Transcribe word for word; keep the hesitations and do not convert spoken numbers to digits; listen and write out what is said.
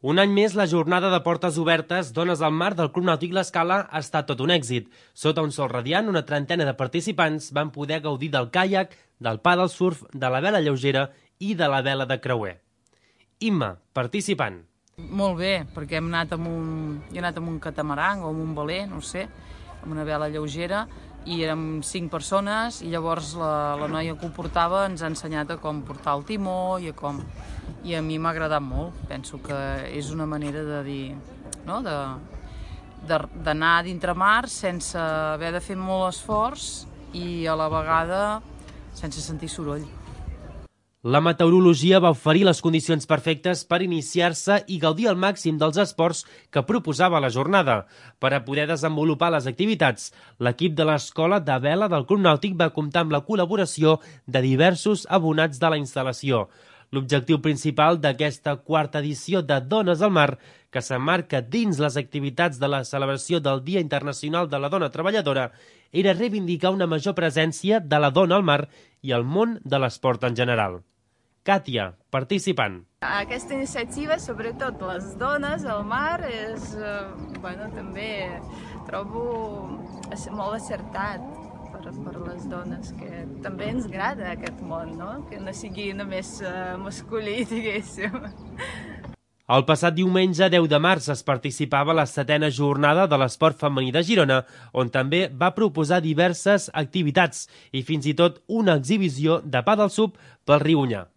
Un any més, la jornada de portes obertes Dones al Mar del Club Nàutic L'Escala ha estat tot un èxit. Sota un sol radiant, una trentena de participants van poder gaudir del caiac, del paddle surf, de la vela lleugera i de la vela de creuer. Imma, participant. Molt bé, perquè hem anat amb un, he anat amb un catamaran o amb un veler, no sé, amb una vela lleugera, i érem cinc persones i llavors la, la noia que ho portava ens ha ensenyat a com portar el timó i a com... I a mi m'ha agradat molt. Penso que és una manera de dir, no? de, de, d'anar dintre mar sense haver de fer molt esforç i a la vegada sense sentir soroll. La meteorologia va oferir les condicions perfectes per iniciar-se i gaudir al màxim dels esports que proposava la jornada. Per a poder desenvolupar les activitats, l'equip de l'Escola de Vela del Club Nàutic va comptar amb la col·laboració de diversos abonats de la instal·lació. L'objectiu principal d'aquesta quarta edició de Dones al Mar, que s'emmarca dins les activitats de la celebració del Dia Internacional de la Dona Treballadora, era reivindicar una major presència de la dona al mar i al món de l'esport en general. Càtia, participant. Aquesta iniciativa, sobretot les dones al mar, és, eh, bueno, també trobo molt acertat per, per les dones, que també ens agrada aquest món, no? Que no sigui només uh, masculí, diguéssim. El passat diumenge, deu de març, es participava a la setena jornada de l'esport femení de Girona, on també va proposar diverses activitats i fins i tot una exhibició de paddle surf pel riu Onyar.